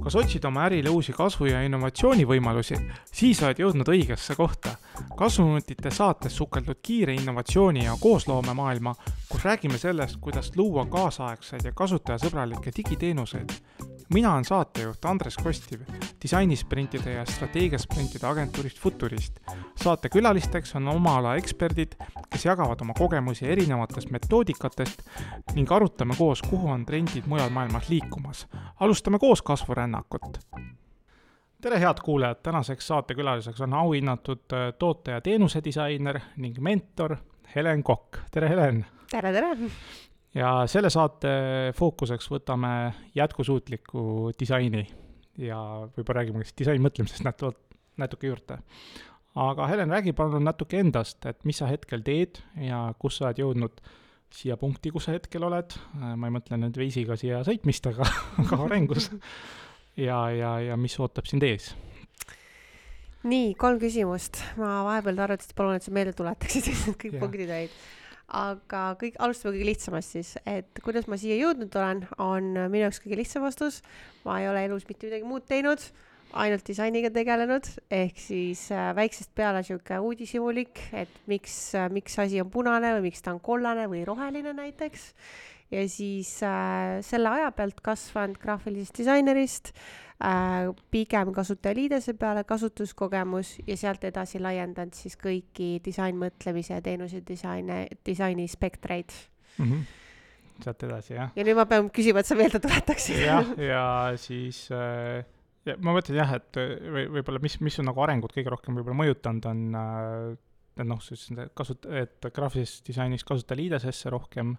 Kas otsid oma ärile uusi kasvu- ja innovatsioonivõimalusi? Siis oled jõudnud õigesse kohta. Kasvuminutite saates sukeldud kiire innovatsiooni ja koosloomemaailma, kus räägime sellest, kuidas luua kaasaegseid ja kasutajasõbralikke digiteenuseid. Mina olen saatejuht Andres Kostiv, disainisprintide ja strateegiasprintide agentuurist Futurist. Saate külalisteks on oma ala eksperdid, kes jagavad oma kogemusi erinevatest metoodikatest ning arutame koos, kuhu on trendid mujal maailmas liikumas. Alustame koos kasvurännakut. Tere head kuulajad, tänaseks saate külaliseks on auhinnatud toote- ja teenuse disainer ning mentor Helen Kokk. Tere Helen! Tere! Ja selle saate fookuseks võtame jätkusuutliku disaini ja võib-olla räägime disaini mõtlemisest natuke juurde. Aga Helen, räägi palun natuke endast, et mis sa hetkel teed ja kus sa oled jõudnud siia punkti, kus sa hetkel oled. Ma ei mõtle nüüd veisiga siia sõitmist, aga arengus. Ja mis ootab sind ees? Nii, 3 küsimust. Ma vahepeal arvates palun, et sa meelde tuletaksid, et kõik punktid olid. Aga alustame kõige lihtsamast siis, et kuidas ma siia jõudnud olen, on minu jaoks kõige lihtsam vastus. Ma ei ole elus mitte midagi muud teinud, ainult disainiga tegelenud, ehk siis väiksest peale siuke uudishimulik, et miks asi on punane või miks ta on kollane või roheline näiteks. Ja siis selle aja pealt kasvanud graafilisest disainerist, pigem kasutajaliidese peale kasutuskogemus ja sealt edasi laiendanud siis kõiki disainmõtlemise ja teenuse disaini spektreid. Sealt edasi, jah. Ja nüüd ma pean küsima, et sa meelde tuletaksid. Ja siis ma mõtlen jah, et võib-olla mis on nagu arengut kõige rohkem võib-olla mõjutanud on, et graafilises disainis kasutajaliidesesse rohkem,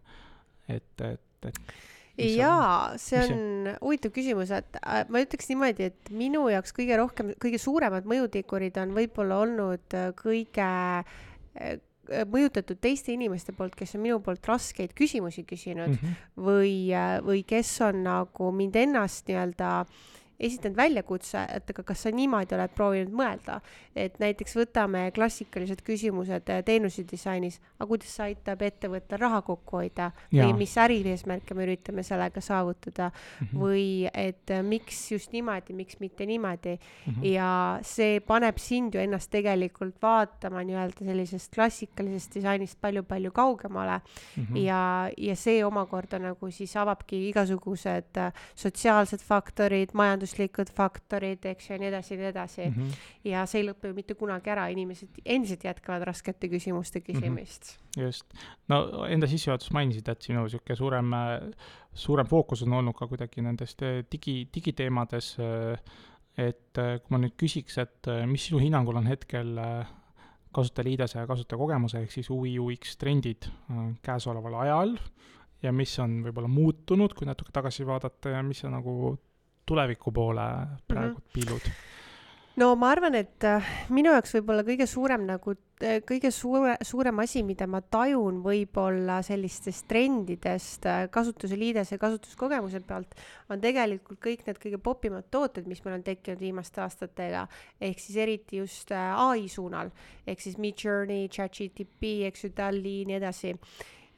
Jaa, see on huvitav küsimus, et ma ütleks niimoodi, et minu jaoks kõige suuremad mõjutikurid on võib-olla olnud kõige mõjutatud teiste inimeste poolt, kes on minu poolt raskeid küsimusi küsinud või kes on nagu mind ennast nii-öelda esitanud väljakutse, et kas sa niimoodi oled proovinud mõelda, et näiteks võtame klassikalised küsimused teenuse disainis, aga kuidas see aitab ettevõttel raha kokku hoida või mis ärieesmärke me üritame sellega saavutada või et miks just niimoodi, miks mitte niimoodi ja see paneb sind ju ennast tegelikult vaatama nii-öelda sellisest klassikalisest disainist palju kaugemale ja see omakorda nagu siis avabki igasugused sotsiaalsed faktorid, majanduslikud faktorid, eks ju, ja nii edasi. Ja see ei lõpe ju mitte kunagi ära, inimesed endiselt jätkavad raskete küsimuste küsimist. Just. No enda sissejuhatus mainisid, et sinu siuke suurem fookus on olnud ka kuidagi nendest digiteemades, et kui ma nüüd küsiks, et mis sinu hinnangul on hetkel kasutajaliidese ja kasutajakogemuse ehk siis UI UX trendid käesoleval ajal ja mis on võib-olla muutunud, kui natuke tagasi vaadata ja mis on nagu tuleviku poole praegu piilud? No ma arvan, et minu jaoks võib-olla kõige suurem asi, mida ma tajun võib-olla sellistest trendidest kasutuseliides ja kasutuskogemuse pealt, on tegelikult kõik need kõige popimad tooted, mis meil on tekkinud viimaste aastatega, ehk siis eriti just AI suunal, ehk siis Midjourney, ChatGPT, eks ju, DALL-E, nii edasi.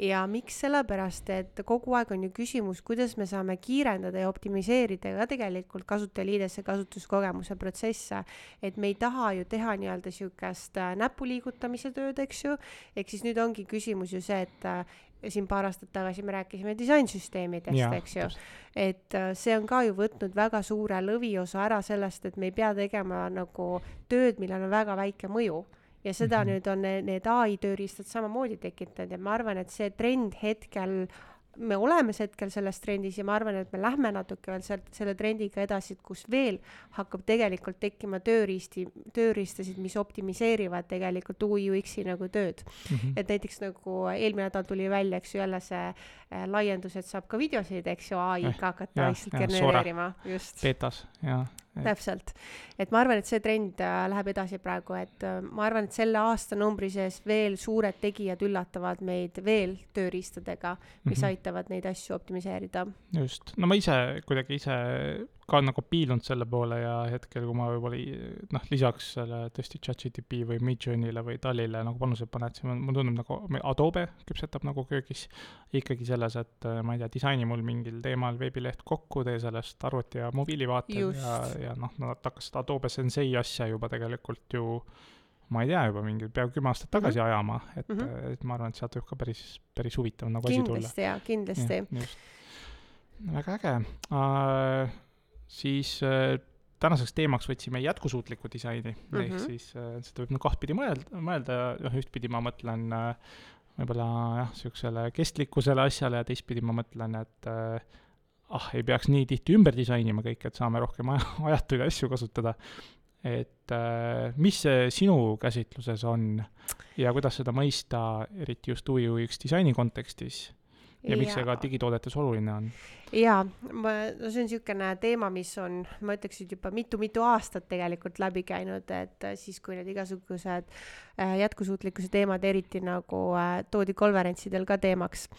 Ja miks sellepärast, et kogu aeg on ju küsimus, kuidas me saame kiirendada ja optimiseerida ka tegelikult kasutajaliidesse kasutuskogemuse protsesse, et me ei taha ju teha nii-öelda siukest näpuliigutamise tööd, eks ju, ehk siis nüüd ongi küsimus ju see, et siin paar aastat tagasi me rääkisime disainsüsteemidest, eks ju, et see on ka ju võtnud väga suure lõviosa ära sellest, et me ei pea tegema nagu tööd, millel on väga väike mõju. Ja seda nüüd on need AI tööriistad samamoodi tekitanud ja ma arvan, et see trend hetkel, me oleme hetkel selles trendis ja ma arvan, et me lähme natuke veel selle trendiga edasi, kus veel hakkab tegelikult tekkima tööriistasid, mis optimiseerivad tegelikult UI UX-i nagu tööd. Et näiteks nagu eelmine nädal tuli välja, eks ju, jälle see laiendus, et saab ka videosid, eks ju, AI-ga hakata genereerima. Just. Betas, jah. Täpselt. Et ma arvan, et see trend läheb edasi praegu, et ma arvan, et selle aasta numbri sees veel suured tegijad üllatavad meid veel tööriistadega, mis aitavad neid asju optimiseerida. Just. No ma ise ka nagu piilunud selle poole ja hetkel, kui ma võib-olla lisaks selle tõesti ChatGPT või Midjourneyle või DALL-ile nagu panused paned, siis mul tundub nagu Adobe küpsetab nagu köögis ikkagi selles, et ma ei tea, disaini mul mingil teemal veebileht kokku, tee sellest arvuti ja mobiilivaated ja nad hakkas seda Adobe Sensei asja juba tegelikult ju ma ei tea juba mingi peaaegu 10 aastat tagasi ajama, et ma arvan, et sealt võib ka päris huvitav nagu asi tulla. Kindlasti. Väga äge. Siis tänaseks teemaks võtsime jätkusuutliku disaini, ehk siis seda võib kahtpidi mõelda, ühtpidi ma mõtlen võib-olla siuksele kestlikkusele asjale ja teistpidi ma mõtlen, et ei peaks nii tihti ümber disainima kõik, et saame rohkem ajatuid asju kasutada. Et mis see sinu käsitluses on ja kuidas seda mõista, eriti just UX disaini kontekstis? Ja miks see ka digitoodetes oluline on? Jaa, see on niisugune teema, mis on, ma ütleksin, juba mitu aastat tegelikult läbi käinud, et siis, kui need igasugused jätkusuutlikkuse teemad eriti nagu toodi konverentsidel ka teemaks.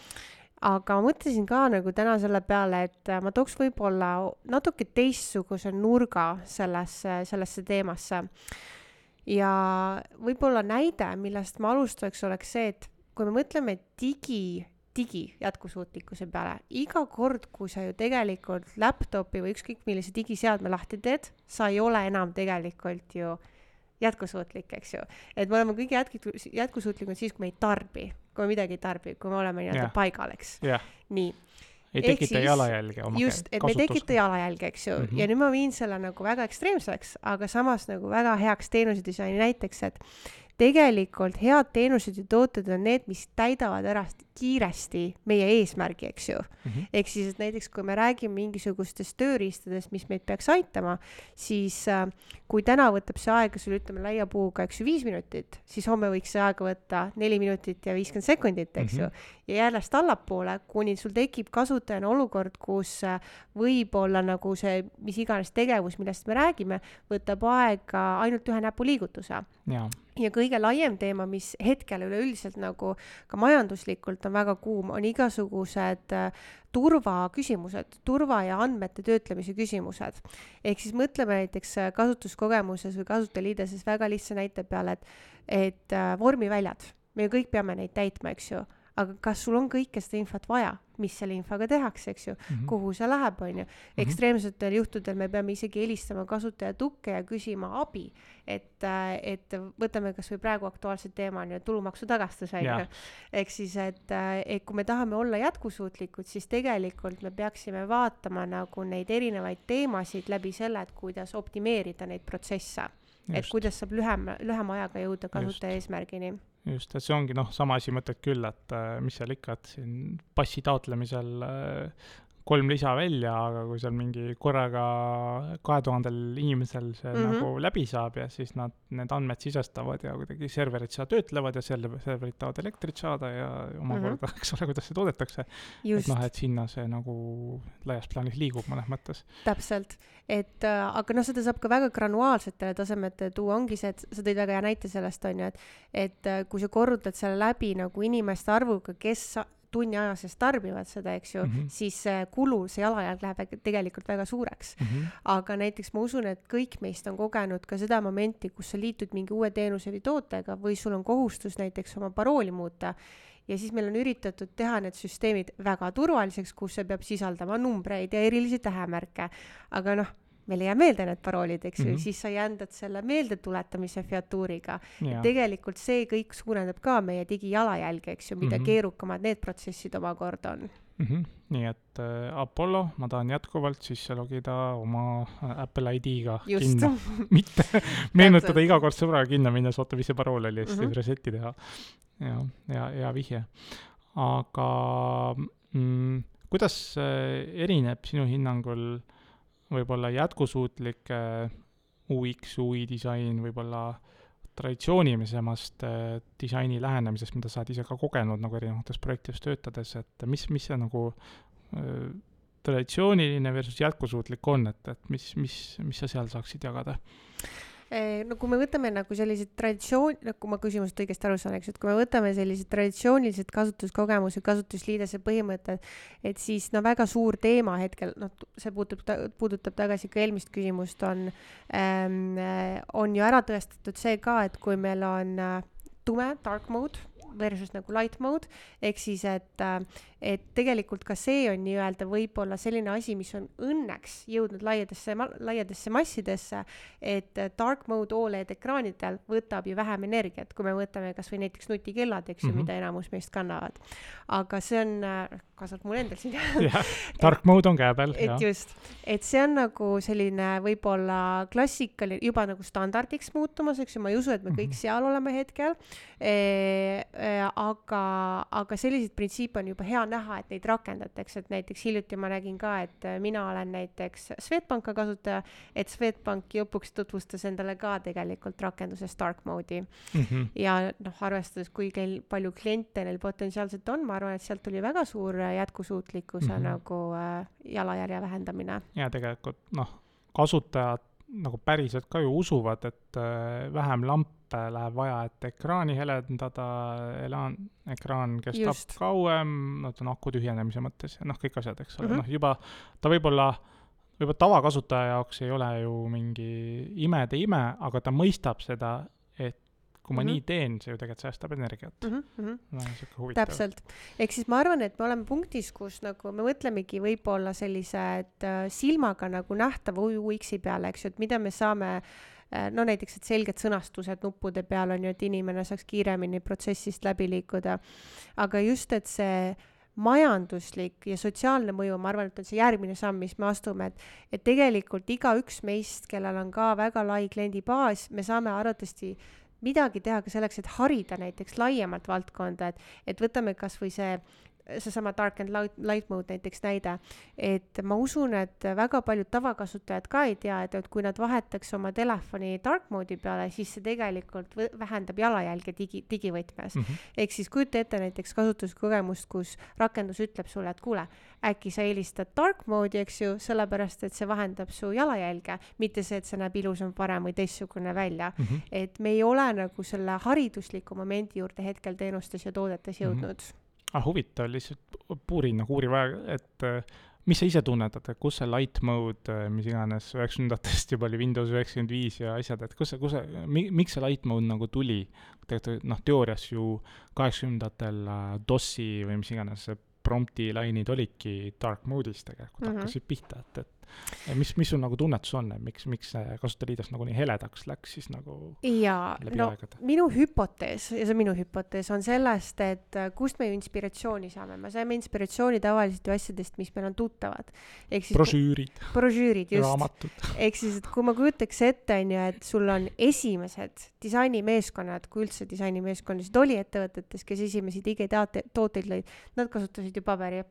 Aga ma mõtlesin ka nagu täna selle peale, et ma tooks võib-olla natuke teistsuguse nurga sellesse teemasse. Ja võib-olla näide, millest ma alustaks, oleks see, et kui me mõtleme digi jätkusuutlikkuse peale. Iga kord, kui sa ju tegelikult laptopi või ükskõik millise digiseadme lahti teed, sa ei ole enam tegelikult ju jätkusuutlik, eks ju. Et me oleme kõige jätkusuutlikud siis, kui me ei tarbi, kui me midagi ei tarbi, kui me oleme nii-öelda paigal, eks. Nii. Ei tekita jalajälge oma just, et me ei tekita jalajälge, eks ju. Ja nüüd ma viin selle nagu väga ekstreemseks, aga samas nagu väga heaks teenusedisaini näiteks, et tegelikult head teenused ja tooted on need, mis täidavad ära kiiresti meie eesmärgi, eks ju. Ehk siis, et näiteks kui me räägime mingisugustest tööriistadest, mis meid peaks aitama, siis kui täna võtab see aega sul ütleme laia puuga, eks ju, 5 minutit, siis homme võiks see aega võtta 4 minutit ja 50 sekundit, eks ju. Ja järjest allapoole, kuni sul tekib kasutajana olukord, kus võib-olla nagu see, mis iganes tegevus, millest me räägime, võtab aega ainult ühe näpuliigutuse. Ja kõige laiem teema, mis hetkel üleüldiselt nagu ka majanduslikult on väga kuum, on igasugused turvaküsimused, turva ja andmete töötlemise küsimused. Ehk siis mõtleme näiteks kasutuskogemuses või kasutajaliideses väga lihtsa näite peale, et vormiväljad, me kõik peame neid täitma, eks ju. Aga kas sul on kõike seda infot vaja, mis selle infoga tehakse, eks ju, kuhu see läheb, on ju. Ekstreemsetel juhtudel me peame isegi helistama kasutaja tukke ja küsima abi, et võtame kas või praegu aktuaalset teema on ju tulumaksu tagastus, on ju. Ehk siis, et kui me tahame olla jätkusuutlikud, siis tegelikult me peaksime vaatama nagu neid erinevaid teemasid läbi selle, et kuidas optimeerida neid protsesse, et kuidas saab lühema ajaga jõuda kasutaja eesmärgini. Just, et see ongi sama asi mõtted küll, et mis seal ikka, et siin passi taotlemisel 3 lisa välja, aga kui seal mingi korraga 2000 inimesel see nagu läbi saab ja siis nad need andmed sisestavad ja kuidagi serverid seda töötlevad ja serverid tahavad elektrit saada ja omakorda, eks ole, kuidas see toodetakse. Just. Et et sinna see nagu laias plaanis liigub mõnes mõttes. Täpselt. Aga seda saab ka väga granuaalsetele tasemete tuua, ongi see, et sa tõid väga hea näite sellest, on ju, et kui sa korrutad selle läbi nagu inimeste arvuga, kes tunni aja sees tarbivad seda, eks ju, siis kulu, see jalajälg läheb tegelikult väga suureks. Aga näiteks ma usun, et kõik meist on kogenud ka seda momenti, kus sa liitud mingi uue teenuse või tootega või sul on kohustus näiteks oma parooli muuta ja siis meil on üritatud teha need süsteemid väga turvaliseks, kus see peab sisaldama numbreid ja erilisi tähemärke. Aga meil ei jää meelde need paroolid, eks ju, siis sa jändad selle meeldetuletamise featuuriga. Tegelikult see kõik suurendab ka meie digijalajälge, eks ju, mida keerukamad need protsessid oma kord on. Nii et Apollo, ma tahan jätkuvalt sisse logida oma Apple ID-ga kinno. Mitte meenutada iga kord sõbraga kinno minnes, oota, mis see parool oli, siis reseti teha. Ja vihje. Aga kuidas erineb sinu hinnangul võib-olla jätkusuutlike UX, UI disain, võib-olla traditsioonilisemast disaini lähenemisest, mida sa oled ise ka kogenud nagu erinevates projektides töötades, et mis see nagu traditsiooniline versus jätkusuutlik on, et mis sa seal saaksid jagada? No kui me võtame nagu sellised traditsioon, kui ma küsimusest õigesti aru saan, eks, et kui me võtame sellised traditsioonilised kasutuskogemuse, kasutusliidese põhimõtted, et siis no väga suur teema hetkel, noh, see puudutab tagasi ka eelmist küsimust, on ju ära tõestatud see ka, et kui meil on tume, dark mode versus nagu light mode, ehk siis, et tegelikult ka see on nii-öelda võib-olla selline asi, mis on õnneks jõudnud laiadesse massidesse, et dark mode OLED ekraanidel võtab ju vähem energiat, kui me võtame kas või näiteks nutikellad, eks ju, mida enamus meist kannavad. Aga see on, kaasab mul endal siin. Dark mode on käe peal. Et just, et see on nagu selline võib-olla klassikaline, juba nagu standardiks muutumas, eks ju, ma ei usu, et me kõik seal oleme hetkel, aga selliseid printsiipe on juba hea näha, et neid rakendatakse, et näiteks hiljuti ma nägin ka, et mina olen näiteks Swedbanka kasutaja, et Swedbank lõpuks tutvustas endale ka tegelikult rakenduses dark mode'i. Ja noh, arvestades, kui palju kliente neil potentsiaalselt on, ma arvan, et sealt tuli väga suur jätkusuutlikkuse nagu jalajärje vähendamine. Ja tegelikult kasutajad nagu päriselt ka ju usuvad, et vähem lampe läheb vaja, et ekraani helendada, ekraan kestab kauem, aku tühjenemise mõttes ja kõik asjad, eks ole. Juba ta võib-olla tavakasutaja jaoks ei ole ju mingi ime, aga ta mõistab seda, et kui ma nii teen, see ju tegelikult säästab energiat. Täpselt. Ehk siis ma arvan, et me oleme punktis, kus nagu me mõtlemegi võib-olla sellised silmaga nagu nähtava UX-i peale, eks ju, et mida me saame, no näiteks, et selged sõnastused nuppude peal on ju, et inimene saaks kiiremini protsessist läbi liikuda. Aga just, et see majanduslik ja sotsiaalne mõju, ma arvan, et on see järgmine samm, mis me astume, et tegelikult igaüks meist, kellel on ka väga lai kliendibaas, me saame arvatavasti midagi teha ka selleks, et harida näiteks laiemalt valdkonda, et võtame kas või seesama dark and light mode näiteks näide, et ma usun, et väga paljud tavakasutajad ka ei tea, et kui nad vahetaks oma telefoni dark mode'i peale, siis see tegelikult vähendab jalajälge digivõtmes. Ehk siis kujuta ette näiteks kasutuskogemust, kus rakendus ütleb sulle, et kuule, äkki sa eelistad dark mode'i, eks ju, sellepärast, et see vahendab su jalajälge, mitte see, et see näeb ilusam, parem või teistsugune välja. Et me ei ole nagu selle haridusliku momendi juurde hetkel teenustes ja toodetes jõudnud. Huvitav, lihtsalt puurin nagu uuri vaja, et mis sa ise tunnetad, et kus see light mode, mis iganes 90-ndatest juba oli Windows 95 ja asjad, et miks see light mode nagu tuli? Teoorias ju 80-ndatel DOS-i või mis iganes prompti lainid olidki dark mode'is tegelikult hakkasid pihta, et mis sul nagu tunnetus on, miks see kasutajaliides nagu nii heledaks läks siis nagu läbi aegade? Minu hüpotees, ja see minu hüpotees on sellest, et kust me ju inspiratsiooni saame. Me saime inspiratsiooni tavaliselt ju asjadest, mis meil on tuttavad. Brošüürid, just. Raamatud. Ehk siis, et kui ma kujutaks ette, et sul on esimesed disainimeeskonnad, kui üldse disainimeeskondasid oli ettevõtetes, kes esimesi digitooteid lõid, nad kasutasid ju paberit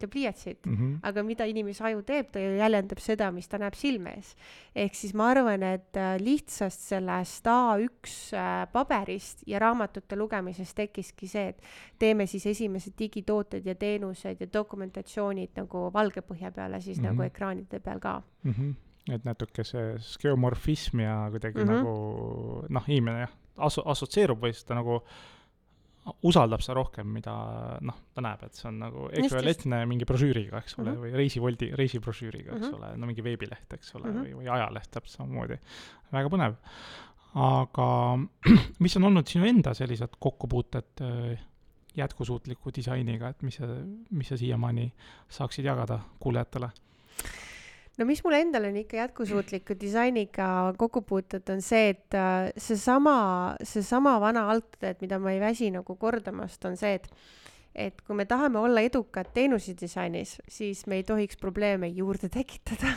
ja pliiatsit. Aga mida inimese aju teeb, ta jäljendab seda, mis ta näeb silme ees. Ehk siis ma arvan, et lihtsast sellest A1 paberist ja raamatute lugemisest tekkiski see, et teeme siis esimesed digitooted ja teenused ja dokumentatsioonid nagu valge põhja peale siis nagu ekraanide peal ka. Et natuke see skeomorfism ja kuidagi nagu inimene assotsieerub või seda nagu usaldab sa rohkem, mida ta näeb, et see on nagu ekvivalentne mingi brošüüriga, eks ole, või reisibrošüüriga, eks ole, mingi veebileht, eks ole, või ajaleht täpselt samamoodi. Väga põnev. Aga mis on olnud sinu enda sellised kokkupuuted jätkusuutliku disainiga, et mis sa siiamaani saaksid jagada kuulejatele? No mis mul endal on ikka jätkusuutliku disainiga kokkupuutud, on see, et seesama vana algtõed, mida ma ei väsi nagu kordamast, on see, et kui me tahame olla edukad teenusedisainis, siis me ei tohiks probleeme juurde tekitada,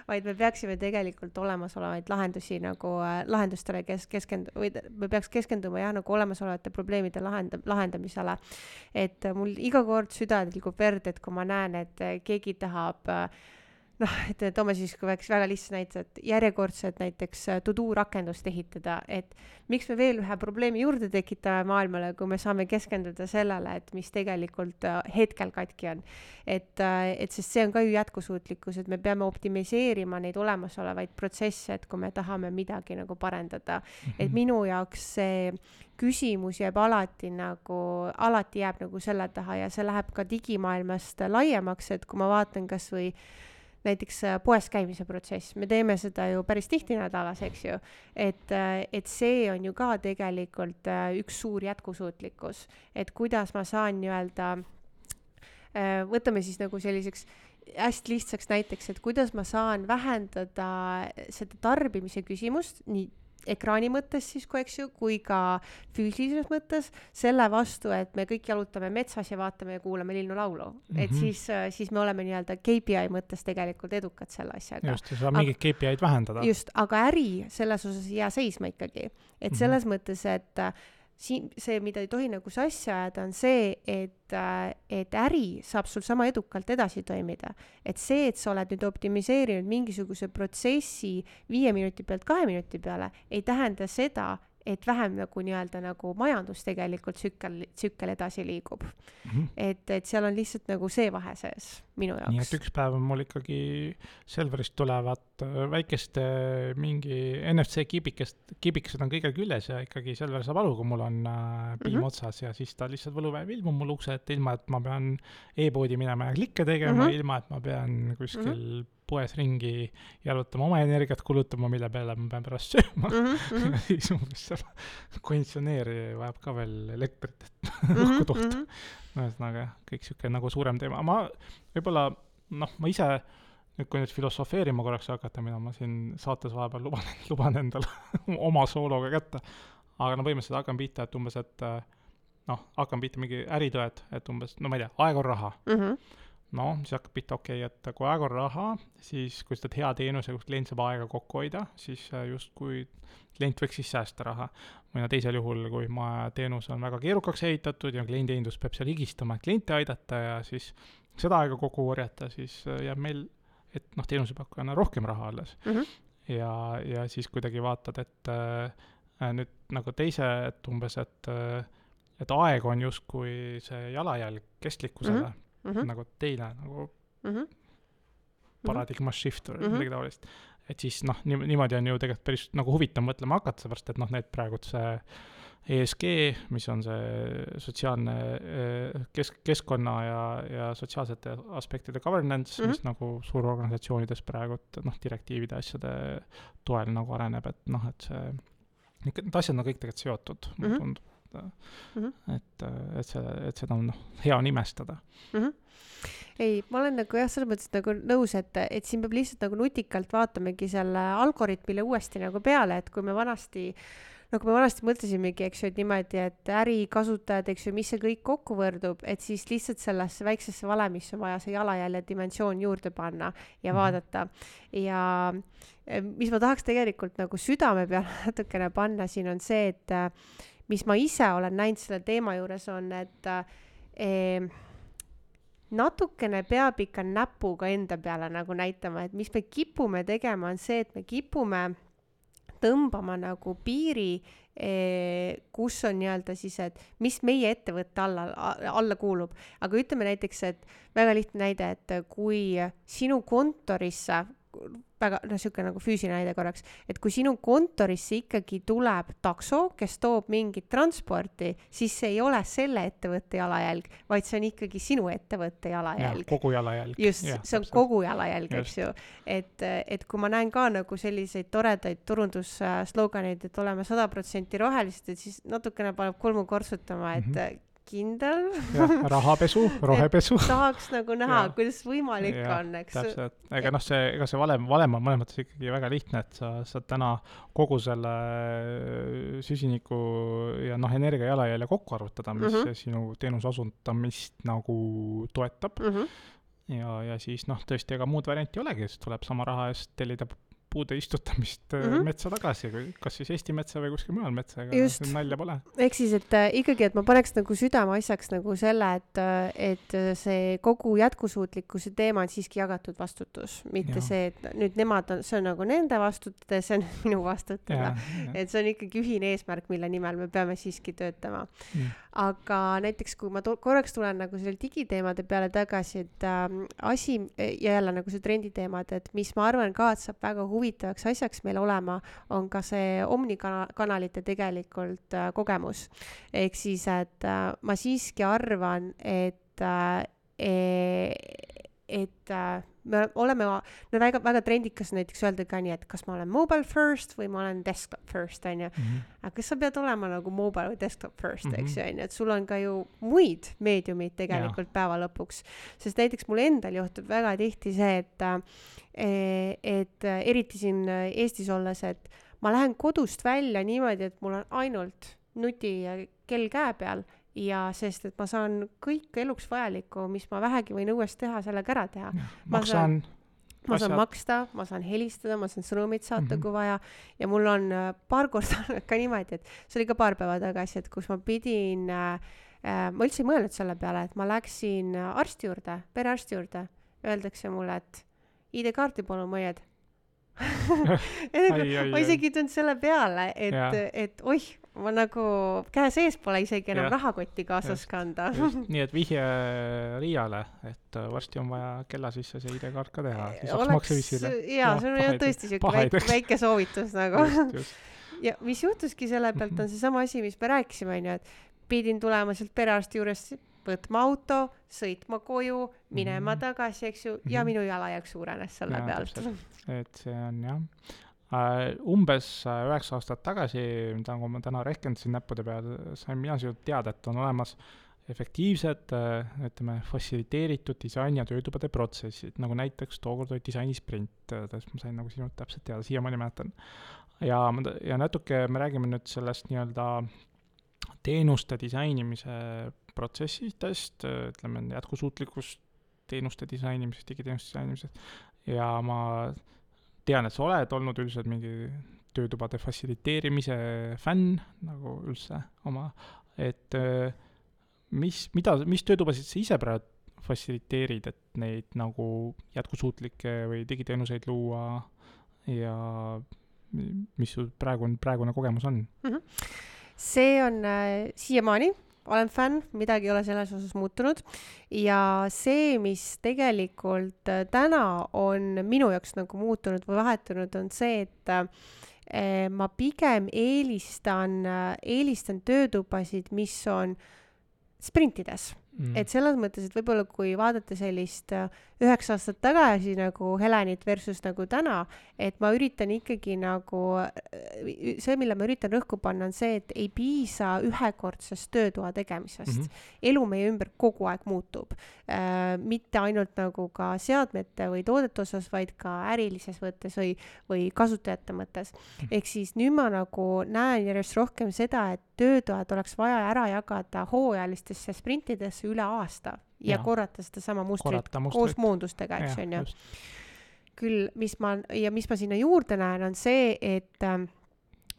vaid me peaksime tegelikult olemasolevaid lahendusi nagu lahendustele või me peaks keskenduma nagu olemasolevate probleemide lahendamisele. Et mul iga kord süda tilgub verd, et kui ma näen, et keegi tahab et toome siis kui väga lihtsalt näite, et järjekordselt näiteks to-do rakendust ehitada, et miks me veel ühe probleemi juurde tekitame maailmale, kui me saame keskenduda sellele, et mis tegelikult hetkel katki on. Et sest see on ka ju jätkusuutlikkus, et me peame optimiseerima neid olemasolevaid protsesse, et kui me tahame midagi nagu parendada. Et minu jaoks see küsimus jääb alati jääb nagu selle taha ja see läheb ka digimaailmast laiemaks, et kui ma vaatan kas või näiteks poes käimise protsess, me teeme seda ju päris tihti nädalas, eks ju, et see on ju ka tegelikult üks suur jätkusuutlikkus, et kuidas ma saan nii-öelda, võtame siis nagu selliseks hästi lihtsaks näiteks, et kuidas ma saan vähendada seda tarbimise küsimust, nii ekraani mõttes siis, kui ka füüsilises mõttes, selle vastu, et me kõik jalutame metsas ja vaatame ja kuulame linnulaulu. Et siis me oleme nii-öelda KPI mõttes tegelikult edukad selle asjaga. Just, ja saab mingid KPI-d vähendada. Just, aga äri selles osas ei jää seisma ikkagi. Et selles mõttes, et see, mida ei tohi nagu sassi ajada, on see, et äri saab sul sama edukalt edasi toimida. Et see, et sa oled nüüd optimiseerinud mingisuguse protsessi 5 minuti pealt 2 minuti peale, ei tähenda seda, et vähem nagu nii-öelda nagu majandus tegelikult tsükkel edasi liigub. Et seal on lihtsalt nagu see vahe sees minu jaoks. Nii et üks päev on mul ikkagi Selverist tulevad väikeste mingi NFC kibikesed on kõigel küljes ja ikkagi Selver saab aru, kui mul on piim otsas ja siis ta lihtsalt võlupäev ilmub mul ukse, et ilma, et ma pean e-poodi minema ja klikke tegema, ilma, et ma pean kuskil poes ringi jalutama, oma energiat kulutama, mille peale ma pean pärast sööma. Ja siis umbes seal konditsioneeri vajab ka veel elektrit, et õhku toota. Ühesõnaga, kõik siuke nagu suurem teema. Ma võib-olla, ma ise, kui nüüd filosofeerima korraks hakata, mida ma siin saates vahepeal luban endale oma soologa kätte, aga põhimõtteliselt hakkan pihta, et umbes, et hakkan pihta mingi äritõed, et umbes, ma ei tea, aeg on raha. Siis hakkab pihta, et kui aeg on raha, siis kui seda hea teenuse, kus klient saab aega kokku hoida, siis just kui klient võiks siis säästa raha. Või teisel juhul, kui teenus on väga keerukaks ehitatud ja klienditeenindus peab seal higistama, et kliente aidata ja siis seda aega kokku korjata, siis jääb meil, et teenusepakkujana rohkem raha alles. Ja siis kuidagi vaatad, et nüüd nagu teise, et umbes, et aeg on justkui see jalajälg kestlikkusele, nagu teine nagu paradigma shift või midagi taolist. Et siis niimoodi on ju tegelikult päris nagu huvitav mõtlema hakata, seepärast, et need praegu see ESG, mis on see sotsiaalne keskkonna ja sotsiaalsete aspektide governance, mis nagu suurorganisatsioonides praegu direktiivide asjade toel nagu areneb, et see, need asjad on kõik tegelikult seotud, mulle tundub. Et seda on hea nimestada. Ei, ma olen nagu selles mõttes nagu nõus, et siin peab lihtsalt nagu nutikalt vaatamegi selle algoritmile uuesti nagu peale, et kui me vanasti mõtlesimegi, eks ju, et niimoodi, et ärikasutajad, eks ju, mis see kõik kokku võrdub, et siis lihtsalt sellesse väiksesse valemisse on vaja see jalajälje dimensioon juurde panna ja vaadata. Ja mis ma tahaks tegelikult nagu südame peale natukene panna siin on see, et mis ma ise olen näinud selle teema juures on, et natukene peab ikka näpuga enda peale nagu näitama, et mis me kipume tegema on see, et me kipume tõmbama nagu piiri, kus on nii-öelda siis, et mis meie ettevõtte alla kuulub. Aga ütleme näiteks, et väga lihtne näide, et kui sinu kontorisse väga, siuke nagu füüsiline näide korraks, et kui sinu kontorisse ikkagi tuleb takso, kes toob mingit transporti, siis see ei ole selle ettevõtte jalajälg, vaid see on ikkagi sinu ettevõtte jalajälg. Kogu jalajälg. Just, see on kogu jalajälg, eks ju. Et kui ma näen ka nagu selliseid toredaid turundussloganeid, et oleme 100% rohelised, et siis natukene paneb kulmu kortsutama, et kindel. Rahapesu, rohepesu. Tahaks nagu näha, kuidas võimalik on, eks. Täpselt. Ega see valem on mõnes mõttes ikkagi väga lihtne, et sa täna kogu selle süsiniku ja energia jalajälje kokku arvutada, mis sinu teenuse osutamist nagu toetab. Ja siis tõesti, ega muud varianti olegi, siis tuleb sama raha eest tellida puude istutamist metsa tagasi, kas siis Eesti metsa või kuskil mujal metsa, ega nalja pole. Ehk siis, et ikkagi, et ma paneks nagu südameasjaks nagu selle, et see kogu jätkusuutlikkuse teema on siiski jagatud vastutus, mitte see, et nüüd nemad on, see on nagu nende vastutada, see on minu vastutada. Et see on ikkagi ühine eesmärk, mille nimel me peame siiski töötama. Aga näiteks, kui ma korraks tulen nagu selle digiteemade peale tagasi, et asi ja jälle nagu see trenditeemad, et mis ma arvan ka, et saab väga huvitavaks asjaks meil olema, on ka see omnikanalite tegelikult kogemus. Ehk siis, et ma siiski arvan, et me oleme väga trendikas näiteks öelda ka nii, et kas ma olen mobile first või ma olen desktop first, on ju. Aga kas sa pead olema nagu mobile või desktop first, eks ju, on ju, et sul on ka ju muid meediumid tegelikult päeva lõpuks. Sest näiteks mul endal juhtub väga tihti see, et eriti siin Eestis olles, et ma lähen kodust välja niimoodi, et mul on ainult nuti ja kell käe peal ja sest, et ma saan kõik eluks vajalikku, mis ma vähegi võin õues teha, sellega ära teha. Ma saan maksta, ma saan helistada, ma saan sõnumit saata kui vaja ja mul on paar korda ka niimoodi, et see oli ka paar päeva tagasi, et kus ma pidin, ma üldse ei mõelnud selle peale, et ma läksin arsti juurde, perearsti juurde, öeldakse mulle, et ID-kaarti palun mõjed. Ma isegi ei tulnud selle peale, et oih, ma nagu käe sees pole isegi enam rahakotti kaasas kanda. Nii, et vihje Riiale, et varsti on vaja kella sisse see ID-kaart ka teha. Lisaks maksevisile. Jaa, see on tõesti siuke väike soovitus nagu. Ja mis juhtuski selle pealt on see sama asi, mis me rääkisime, et pidin tulema sealt perearsti juures võtma auto, sõitma koju, minema tagasi, eks ju, ja minu jalajälg suurenes selle pealt. Et see on jah. Umbes 9 aastat tagasi, mida ma täna rehkendasin näppude peal, sain mina sinult teada, et on olemas efektiivsed, ütleme, fassiliteeritud disain- ja töötubade protsessid, nagu näiteks tookord oli disainisprint, ma sain nagu sinult täpselt teada, siiamaani mäletan. Ja natuke me räägime nüüd sellest nii-öelda teenuste disainimise protsessitest, ütleme, jätkusuutlikust teenuste disainimisest, digiteenuste disainimisest, ja ma tean, et sa oled olnud üldiselt mingi töötubade fassiliteerimise fänn, nagu üldse oma, et mis töötubasid sa ise praegu fassiliteerid, et neid nagu jätkusuutlikke või digiteenuseid luua ja mis sul praegune kogemus on? See on siiamaani, olen fänn, midagi ei ole selles osas muutunud ja see, mis tegelikult täna on minu jaoks nagu muutunud või vahetunud, on see, et ma pigem eelistan töötubasid, mis on sprintides. Et selles mõttes, et võib-olla kui vaadata sellist 9 aastat tagasi nagu Helenit versus nagu täna, et ma üritan ikkagi nagu, see, mille ma üritan rõhku panna, on see, et ei piisa ühekordsest töötoa tegemisest. Elu meie ümber kogu aeg muutub. Mitte ainult nagu ka seadmete või toodete osas, vaid ka ärilises võttes või kasutajate mõttes. Ehk siis nüüd ma nagu näen järjest rohkem seda, et töötoad oleks vaja ära jagada hooajalistesse sprintidesse üle aasta ja korrata seda sama mustrit koos muundustega, eks on ju. Küll, mis ma sinna juurde näen, on see, et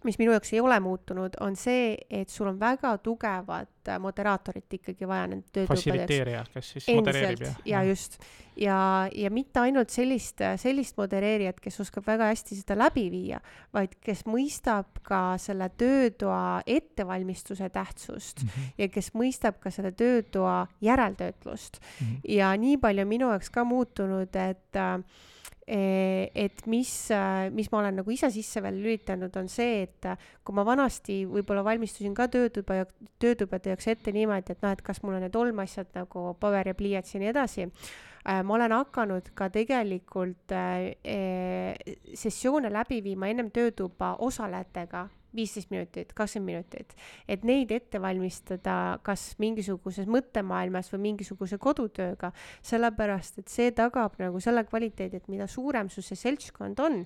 mis minu jaoks ei ole muutunud, on see, et sul on väga tugevat moderaatorit ikkagi vaja nende töötupadeks. Fassiliteerija, kes siis modereerib. Ja just. Ja mitte ainult sellist modereerijat, kes oskab väga hästi seda läbi viia, vaid kes mõistab ka selle töötoa ettevalmistuse tähtsust ja kes mõistab ka selle töötoa järeltöötlust. Ja nii palju minu jaoks ka muutunud, et mis ma olen nagu ise sisse veel lülitanud, on see, et kui ma vanasti võib-olla valmistusin ka töötubade jaoks ette niimoodi, et kas mul on need olmasjad nagu paber ja pliiats ja nii edasi, ma olen hakanud ka tegelikult sessioone läbi viima ennem töötuba osalejatega 15 minutit, 20 minutit, et neid ette valmistada kas mingisuguses mõttemaailmas või mingisuguse kodutööga, sellepärast, et see tagab nagu selle kvaliteedi, et mida suurem su see seltskond on,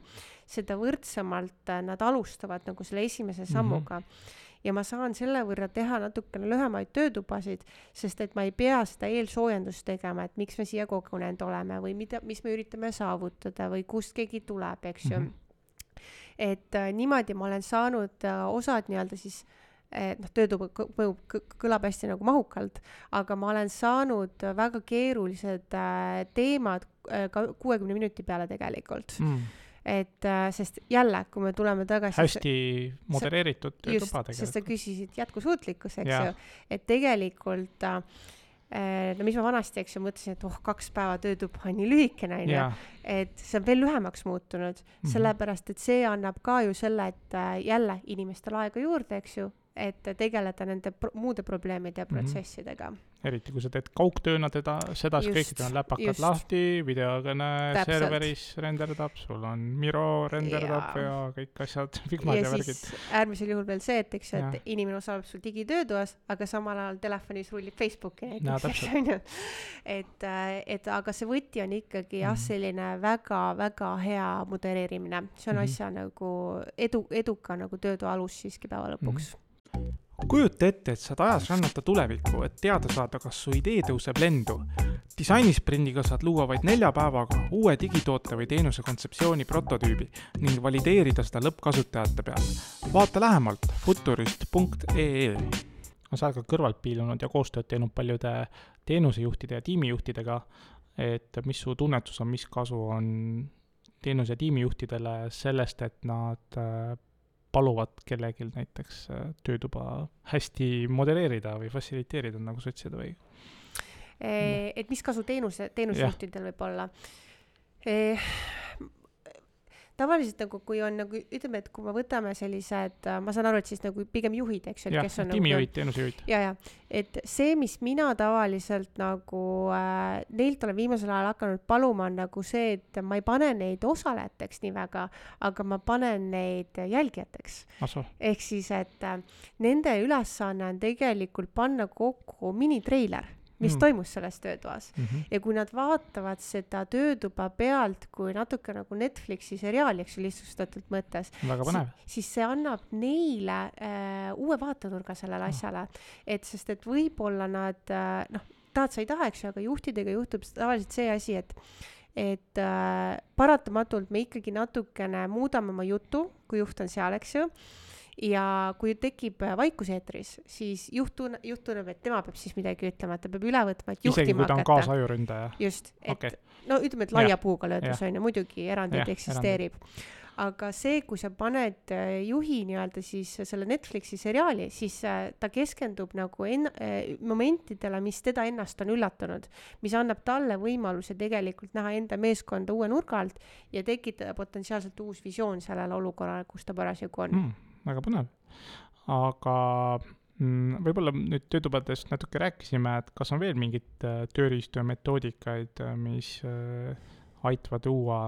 seda võrdsemalt nad alustavad nagu selle esimese sammuga. Ja ma saan selle võrra teha natukene lühemaid töötubasid, sest et ma ei pea seda eelsoojendust tegema, et miks me siia kogunenud oleme või mis me üritame saavutada või kust keegi tuleb, eks ju. et niimoodi ma olen saanud osad nii-öelda siis töötuba kõlab hästi nagu mahukalt, aga ma olen saanud väga keerulised teemad ka 60 minuti peale tegelikult. Et sest jälle, kui me tuleme tagasi hästi modereeritud töötuba tegelikult. Sest sa küsisid jätkusuutlikkus, eks ju, et tegelikult no mis ma vanasti, eks ju, mõtlesin, et 2 päeva töötuba on nii lühikene, et see on veel lühemaks muutunud, sellepärast, et see annab ka ju selle, et jälle inimestel aega juurde, eks ju, et tegeleda nende muude probleemide ja protsessidega. Eriti, kui sa teed kaugtööna sedasi kõik on läpakad lahti, videokõne serveris renderdab, sul on Miro renderdab ja kõik asjad, fikmad ja värgid. Ja siis äärmisel juhul veel see, et, eks, et inimene osaleb sul digitöötoas, aga samal ajal telefonis rullib Facebooki näiteks. Et aga see võti on ikkagi selline väga-väga hea modereerimine. See on asja nagu eduka nagu töötoa alus siiski päeva lõpuks. Kujuta ette, et saad ajas rännata tulevikku, et teada saada, kas su idee tõuseb lendu. Disainisprindiga saad luua vaid 4 päevaga uue digitoote või teenuse kontseptsiooni prototüübi ning valideerida seda lõppkasutajate peal. Vaata lähemalt futurist.ee. Sa oled ka kõrvalt piilunud ja koostööd teinud paljude teenusejuhtide ja tiimijuhtidega, et mis su tunnetus on, mis kasu on teenuse ja tiimijuhtidele sellest, et nad paluvad kellelgi näiteks töötuba hästi modelleerida või fassiliteerida, nagu sa ütlesid või? Et mis kasu teenusejuhtidel võib olla? Tavaliselt nagu, kui on nagu, ütleme, et kui me võtame sellised, ma saan aru, et siis nagu pigem juhid, eks ju, kes on tiimijuhid, teenusejuhid. Ja, et see, mis mina tavaliselt nagu neilt olen viimasel ajal hakanud paluma, on nagu see, et ma ei pane neid osalejateks nii väga, aga ma panen neid jälgijateks. Ehk siis, et nende ülesanne on tegelikult panna kokku minitreiler, mis toimus selles töötoas. Ja kui nad vaatavad seda töötuba pealt, kui natuke nagu Netflixi seriaali, eks lihtsustatult mõttes, siis see annab neile uue vaatenurga sellele asjale. Sest et võib-olla nad, tahad sa ei taha, eks ju, aga juhtidega juhtub tavaliselt see asi, et paratamatult me ikkagi natukene muudame oma jutu, kui juht on seal, eks ju. Ja kui tekib vaikuseetris, siis juht tunneb, et tema peab siis midagi ütlema, et ta peab üle võtma, et juhtima hakata. Isegi kui ta on kaasajuründaja. Just, et no ütleme, et laia puuga löödus on ja muidugi erandid eksisteerib. Aga see, kui sa paned juhi nii-öelda siis selle Netflixi seriaali, siis ta keskendub nagu momentidele, mis teda ennast on üllatunud, mis annab talle võimaluse tegelikult näha enda meeskonda uue nurga alt ja tekitada potentsiaalselt uus visioon sellele olukorrale, kus ta parasjagu on. Väga põnev. Aga võib-olla nüüd töötubadest natuke rääkisime, et kas on veel mingid tööriistu ja metoodikaid, mis aitavad uua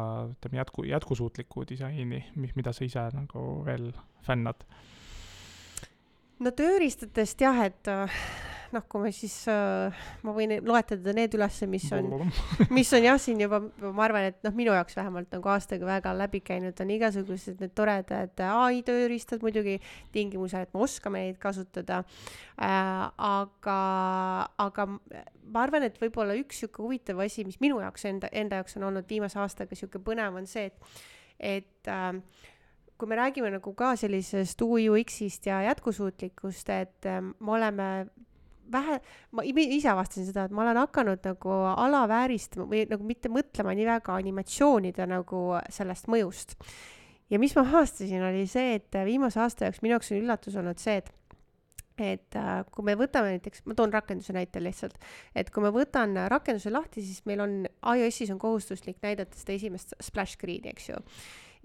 jätkusuutliku disaini, mida sa ise nagu veel fännad? No tööriistadest jah, et kui me siis, ma võin loetada need üles, mis on jah siin juba, ma arvan, et minu jaoks vähemalt nagu aastaga väga läbi käinud on igasugused need toredad AI tööriistad muidugi tingimusel, et me oskame neid kasutada. Aga ma arvan, et võib-olla üks siuke huvitav asi, mis minu jaoks enda jaoks on olnud viimase aastaga siuke põnev on see, et kui me räägime nagu ka sellisest UX-ist ja jätkusuutlikkust, et me oleme ma ise avastasin seda, et ma olen hakanud nagu alavääristama või nagu mitte mõtlema nii väga animatsioonide nagu sellest mõjust. Ja mis ma avastasin oli see, et viimase aasta jaoks minu jaoks on üllatus olnud see, et kui me võtame näiteks, ma toon rakenduse näite lihtsalt, et kui ma võtan rakenduse lahti, siis meil on iOS-is on kohustuslik näidata seda esimest splash screen'i, eks ju.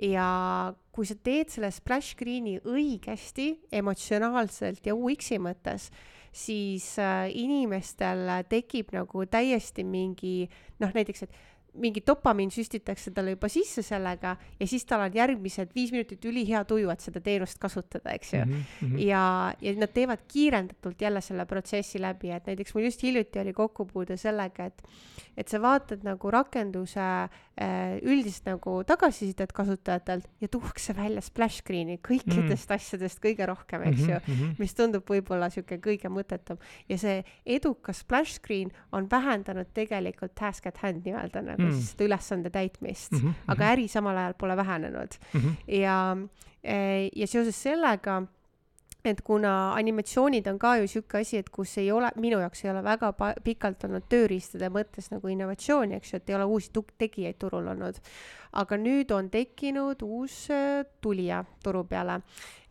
Ja kui sa teed selle splash screen'i õigesti, emotsionaalselt ja UX-i mõttes, siis inimestel tekib nagu täiesti mingi, näiteks, et mingi dopamiin süstitakse talle juba sisse sellega ja siis tal on järgmised 5 minutit ülihea tuju, et seda teenust kasutada, eks ju. Ja nad teevad kiirendatult jälle selle protsessi läbi, et näiteks mul just hiljuti oli kokkupuude sellega, et sa vaatad nagu rakenduse üldist nagu tagasisidet kasutajatelt ja tuuakse välja splash screen'i kõikidest asjadest kõige rohkem, eks ju, mis tundub võib-olla siuke kõige mõttetum. Ja see edukas splash screen on vähendanud tegelikult task at hand nii-öelda nagu siis seda ülesande täitmist, aga äri samal ajal pole vähenenud. Ja seoses sellega, et kuna animatsioonid on ka ju siuke asi, et kus ei ole, minu jaoks ei ole väga pikalt olnud tööriistade mõttes nagu innovatsiooni, eks ju, et ei ole uusi tegijaid turul olnud. Aga nüüd on tekkinud uus tulija turu peale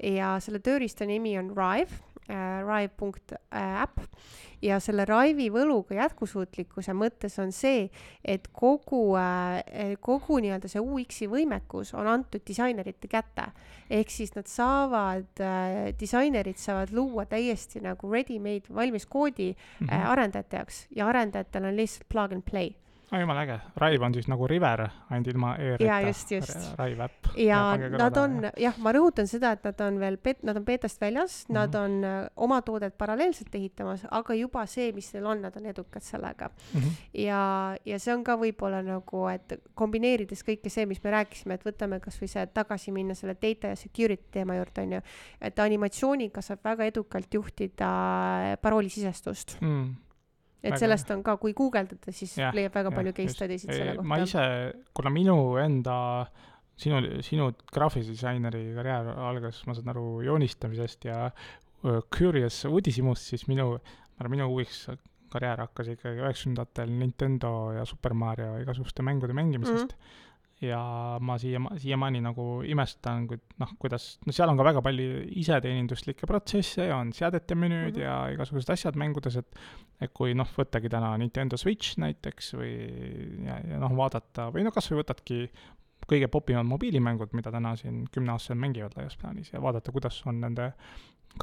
ja selle tööriista nimi on Rive, Rive.app ja selle Rive'i võluga jätkusuutlikkuse mõttes on see, et kogu nii-öelda see UX-i võimekus on antud disainerite kätte. Ehk siis nad disainerid saavad luua täiesti nagu ready-made valmis koodi arendajate jaoks ja arendajatel on lihtsalt plug and play. Jumala äge. Rive on siis nagu River, ainult ilma e-rita. Ja just. Rive äpp. Ja nad on, ma rõhutan seda, et nad on veel, nad on beetast väljas, nad on oma toodet paralleelselt ehitamas, aga juba see, mis neil on, nad on edukad sellega. Ja see on ka võib-olla nagu, et kombineerides kõike see, mis me rääkisime, et võtame kas või see tagasi minna selle data ja security teema juurde, on ju, et animatsiooniga saab väga edukalt juhtida paroolisisestust. Et sellest on ka, kui guugeldada, siis leiab väga palju case studies'id selle kohta. Ma ise, kuna minu enda, sinu graafilise disaineri karjäär algas, ma saan aru, joonistamisest ja Curious uudishimust, siis minu UX karjäär hakkas ikkagi 90-ndatel Nintendo ja Super Mario igasuguste mängude mängimisest. Ja ma siiamaani nagu imestan, kuidas, seal on ka väga palju iseteeninduslikke protsesse ja on seadete menüüd ja igasugused asjad mängudes, et kui võttagi täna Nintendo Switch näiteks või ja vaadata, või kas või võtadki kõige popimad mobiilimängud, mida täna siin 10-aastased mängivad laias plaanis ja vaadata, kuidas on nende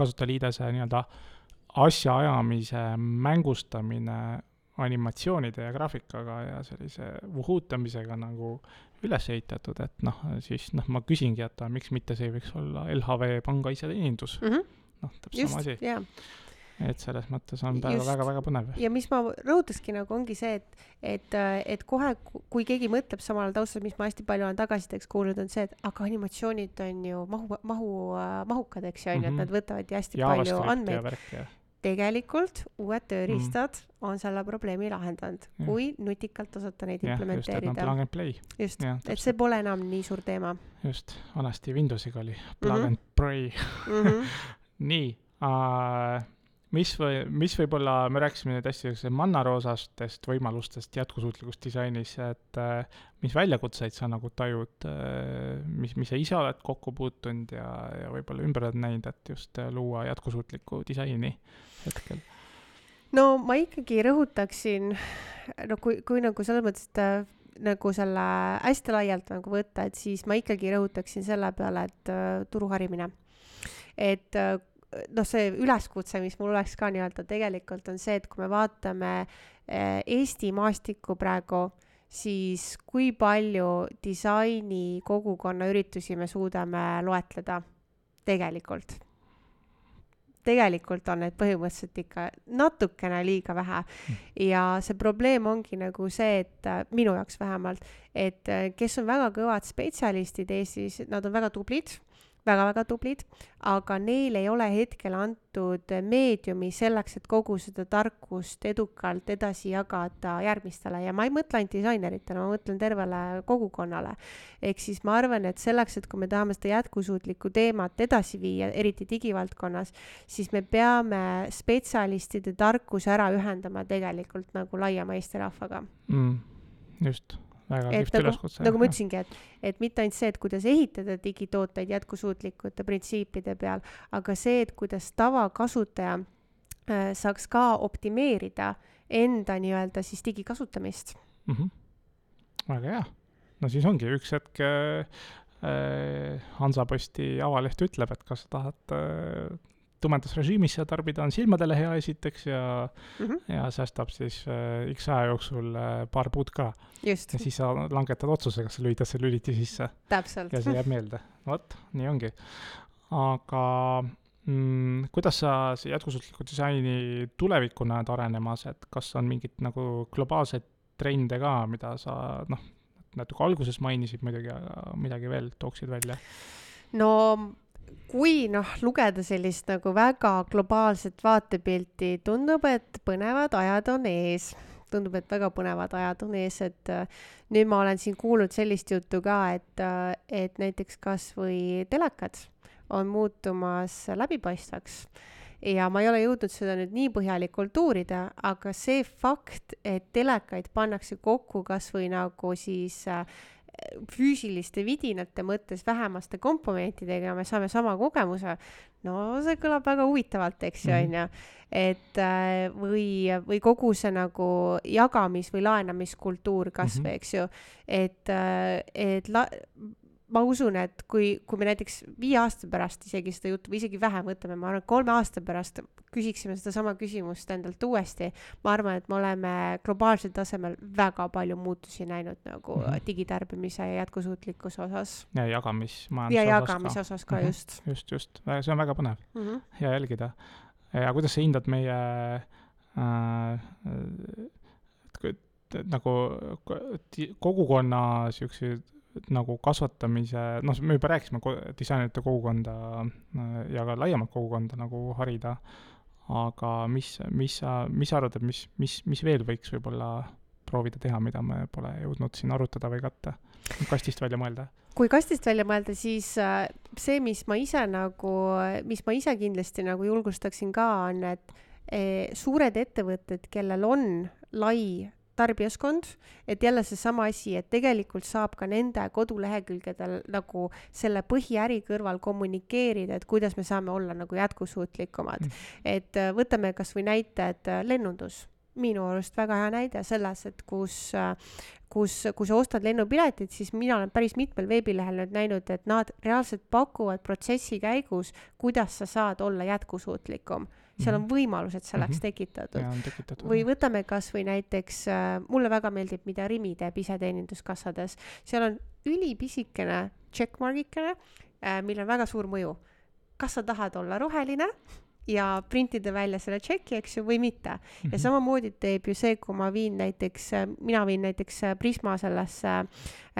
kasutajaliidese nii-öelda asjaajamise mängustamine animatsioonide ja graafikaga ja sellise vuhutamisega nagu üles ehitatud, et siis ma küsingi, et miks mitte see võiks olla LHV panga iseteenindus. Täpselt sama asi. Et selles mõttes on väga põnev. Ja mis ma rõhutaski nagu ongi see, et kohe, kui keegi mõtleb samal taustal, mis ma hästi palju olen tagasideks kuulnud, on see, et aga animatsioonid on ju mahukad, eks ju, et nad võtavad hästi palju andmeid. Tegelikult uued tööriistad on selle probleemi lahendanud, kui nutikalt osata neid implementeerida. Plug and play. Just, et see pole enam nii suur teema. Just, vanasti Windowsiga oli plug and play. Nii, mis võib-olla, me rääkisime nüüd hästi mannaroosastest võimalustest jätkusuutlikust disainis, et mis väljakutseid sa nagu tajud, mis sa ise oled kokku puutunud ja võib-olla ümber oled näinud, et just luua jätkusuutlikku disaini hetkel? No ma ikkagi rõhutaksin, kui nagu selles mõttes, et nagu selle hästi laialt nagu võtta, et siis ma ikkagi rõhutaksin selle peale, et turuharimine. Et see üleskutse, mis mul oleks ka nii-öelda tegelikult on see, et kui me vaatame Eesti maastikku praegu, siis kui palju disaini kogukonna üritusi me suudame loetleda tegelikult. Tegelikult on need põhimõtteliselt ikka natukene liiga vähe ja see probleem ongi nagu see, et minu jaoks vähemalt, et kes on väga kõvad spetsialistid Eestis, nad on väga tublid, aga neil ei ole hetkel antud meediumi selleks, et kogu seda tarkust edukalt edasi jagada järgmistele ja ma ei mõtle ainult disaineritele, ma mõtlen tervele kogukonnale. Ehk siis ma arvan, et selleks, et kui me tahame seda jätkusuutlikku teemat edasi viia, eriti digivaldkonnas, siis me peame spetsialistide tarkuse ära ühendama tegelikult nagu laiema Eesti rahvaga. Just. Nagu ma ütlesingi, et mitte ainult see, et kuidas ehitada digitooteid jätkusuutlikute printsiipide peal, aga see, et kuidas tavakasutaja saaks ka optimeerida enda nii-öelda siis digikasutamist. Väga hea. No siis ongi üks hetk Hansaposti avaleht ütleb, et kas sa tahad tumedas režiimis ja tarbida on silmadele hea esiteks ja säästab siis X aja jooksul paar puud ka. Just. Ja siis sa langetad otsuse, kas sa lülitad see lüliti sisse. Täpselt. Ja see jääb meelde. Vot, nii ongi. Aga kuidas sa see jätkusuutliku disaini tulevikku näed arenemas, et kas on mingid nagu globaalsed trende ka, mida sa natuke alguses mainisid muidugi, aga midagi veel tooksid välja? No kui lugeda sellist nagu väga globaalset vaatepilti, tundub, et põnevad ajad on ees. tundub, et väga põnevad ajad on ees, et nüüd ma olen siin kuulnud sellist juttu ka, et näiteks kas või telekad on muutumas läbipaistvaks ja ma ei ole jõudnud seda nüüd nii põhjalikult uurida, aga see fakt, et telekaid pannakse kokku kas või nagu siis füüsiliste vidinate mõttes vähemaste komponentidega ja me saame sama kogemuse, no see kõlab väga huvitavalt, eks ju, on ju. Et või kogu see nagu jagamis- või laenamiskultuur kasvõi, eks ju, et ma usun, et kui me näiteks 5 aasta pärast isegi seda juttu või isegi vähem võtame, ma arvan, 3 aasta pärast küsiksime seda sama küsimust endalt uuesti, ma arvan, et me oleme globaalsel tasemel väga palju muutusi näinud nagu digitarbimise ja jätkusuutlikkuse osas. Ja jagamismajanduse ja jagamise osas ka just. Just. See on väga põnev. Hea jälgida. Ja kuidas sa hindad meie nagu kogukonna siukseid nagu kasvatamise, me juba rääkisime disainerite kogukonda ja ka laiemalt kogukonda nagu harida, aga mis sa arvad, et mis veel võiks võib-olla proovida teha, mida me pole jõudnud siin arutada või katta, kastist välja mõelda? Kui kastist välja mõelda, siis see, mis ma ise kindlasti nagu julgustaksin ka, on, et suured ettevõtted, kellel on lai tarbijaskond, et jälle see sama asi, et tegelikult saab ka nende kodulehekülgedel nagu selle põhiäri kõrval kommunikeerida, et kuidas me saame olla nagu jätkusuutlikumad. Et võtame kas või näite, et lennundus. Minu arust väga hea näide selles, et kus sa ostad lennupiletit, siis mina olen päris mitmel veebilehel nüüd näinud, et nad reaalselt pakuvad protsessi käigus, kuidas sa saad olla jätkusuutlikum. Seal on võimalused selleks tekitatud. Või võtame kas või näiteks, mulle väga meeldib, mida Rimi teeb iseteeninduskassades. Seal on ülipisikene checkmargikene, mille on väga suur mõju. Kas sa tahad olla roheline ja printida välja selle tšeki, eks ju, või mitte. Ja samamoodi teeb ju see, kui mina viin näiteks Prisma sellesse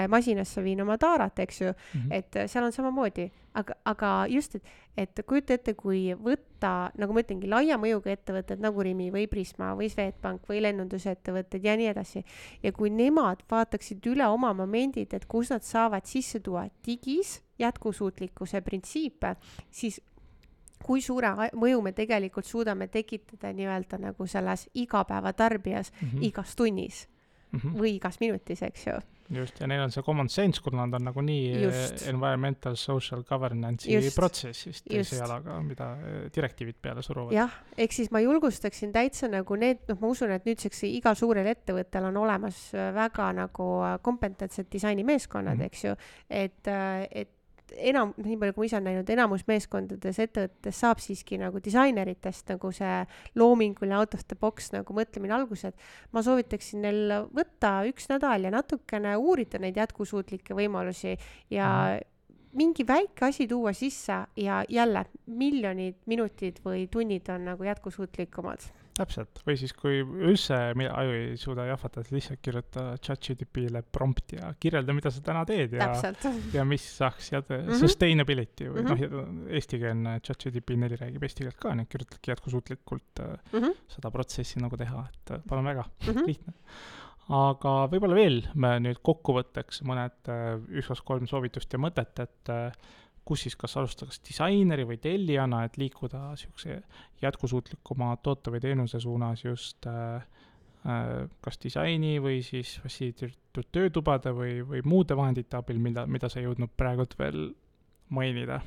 masinasse viin oma taarat, eks ju, et seal on samamoodi. Aga just, et kujuta ette, kui võtta, nagu ma ütlengi, laia mõjuga ettevõtted nagu Rimi või Prisma või Swedbank või lennundusettevõtted ja nii edasi. Ja kui nemad vaataksid üle oma momendid, et kus nad saavad sisse tuua digis jätkusuutlikkuse printsiipe, siis kui suure mõju me tegelikult suudame tekitada nii-öelda nagu selles igapäeva tarbijas igas tunnis või igas minutis, eks ju. Just, ja neil on see common sense, kui nad on nagu nii environmental social governance'i protsessist teise jalaga, mida direktiivid peale suruvad. Jah, ehk siis ma julgustaksin täitsa nagu need, ma usun, et nüüdseks igal suurel ettevõttel on olemas väga nagu kompetentsed disainimeeskonnad, eks ju, et nii palju kui ma ise olen näinud, enamus meeskondades ettevõttes saab siiski nagu disaineritest nagu see loominguline out of the box nagu mõtlemine algused. Ma soovitaksin neil võtta 1 nädal ja natukene uurida neid jätkusuutlikke võimalusi ja mingi väike asi tuua sisse ja jälle miljonid minutid või tunnid on nagu jätkusuutlikumad. Täpselt, või siis kui üldse aju ei suuda jahvatada, lihtsalt kirjuta ChatGPT-le prompt ja kirjelda, mida sa täna teed ja mis saaks sustainability või eestikeelne ChatGPT 4 räägib eesti keelt ka, nii kirjutadki jätkusuutlikult seda protsessi nagu teha, et palun väga, lihtne. Aga võib-olla veel me nüüd kokkuvõtteks mõned 1-3 soovitust ja mõtet, et kus siis kas alustada kas disaineri või tellijana, et liikuda siukse jätkusuutlikuma toote või teenuse suunas just kas disaini või siis fassiilitud töötubade või muude vahendite abil, mida sa jõudnud praegult veel mainida.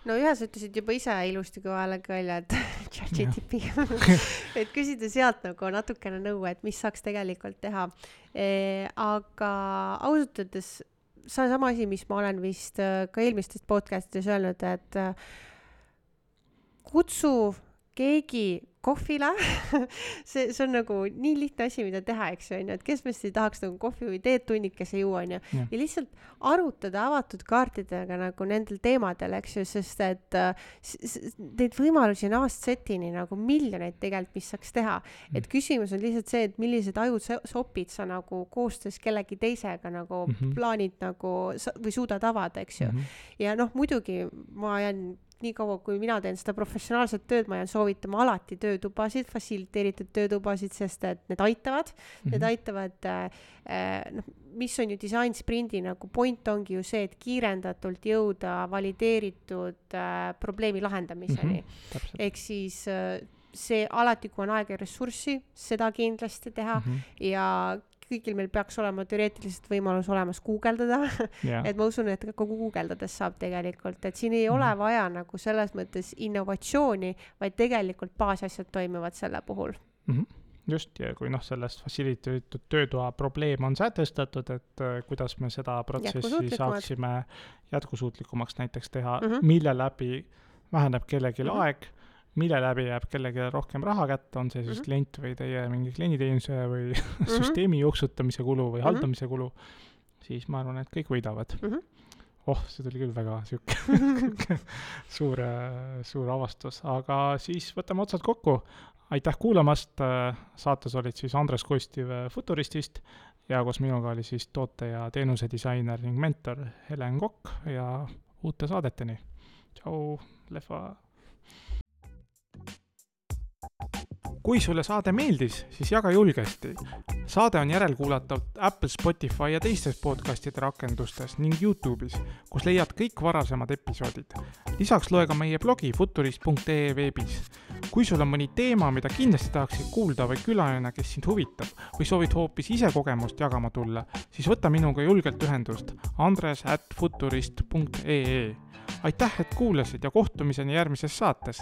No ühes ütlesid juba ise ilusti kõvalega välja, et ChatGPT, et küsida sealt nagu natukene nõu, et mis saaks tegelikult teha. Aga ausalt öeldes see on sama asi, mis ma olen vist ka eelmistest podcastides öelnud, et kutsu keegi kohvile, see on nagu nii lihtne asi, mida teha, eks ju, et kes meist ei tahaks nagu kohvi või teed tunnikese juua, on ju, ja lihtsalt arutada avatud kaartidega nagu nendel teemadel, eks ju, sest et neid võimalusi on A-setini nagu miljoneid tegelikult, mis saaks teha, et küsimus on lihtsalt see, et millised ajud sopid sa nagu koostöös kellegi teisega nagu plaanid nagu või suudad avada, eks ju, ja noh, muidugi ma jään nii kaua, kui mina teen seda professionaalset tööd, ma jään soovitama alati töötubasid, fasiliteeritud töötubasid, sest et need aitavad, mis on ju design sprindi nagu point ongi ju see, et kiirendatult jõuda valideeritud probleemi lahendamiseni. Ehk siis see alati, kui on aega ja ressurssi, seda kindlasti teha ja kõigil meil peaks olema teoreetiliselt võimalus olemas guugeldada, et ma usun, et ka guugeldades saab tegelikult, et siin ei ole vaja nagu selles mõttes innovatsiooni, vaid tegelikult baasasjad toimivad selle puhul. Just, ja kui sellest fasiliteeritud töötoa probleem on sätestatud, et kuidas me seda protsessi saaksime jätkusuutlikumaks näiteks teha, mille läbi väheneb kellelgi aeg, mille läbi jääb kellelegi rohkem raha kätte, on see siis klient või teie mingi klienditeenuse või süsteemi jooksutamise kulu või haldamise kulu, siis ma arvan, et kõik võidavad. See tuli küll väga suur avastus, aga siis võtame otsad kokku. Aitäh kuulamast, saates olid siis Andres Kostiv Futuristist ja koos minuga oli siis toote- ja teenuse disainer ning mentor Helen Kokk ja uute saadeteni. Tšau, lehva! Kui sulle saade meeldis, siis jaga julgesti. Saade on järelkuulatav Apple, Spotify ja teistes podcastide rakendustes ning YouTube'is, kus leiad kõik varasemad episoodid. Lisaks loe ka meie blogi futurist.ee veebis. Kui sul on mõni teema, mida kindlasti tahaksid kuulda või külaline, kes sind huvitab või soovid hoopis ise kogemust jagama tulla, siis võta minuga julgelt ühendust andres@futurist.ee. Aitäh, et kuulasid ja kohtumiseni järgmises saates!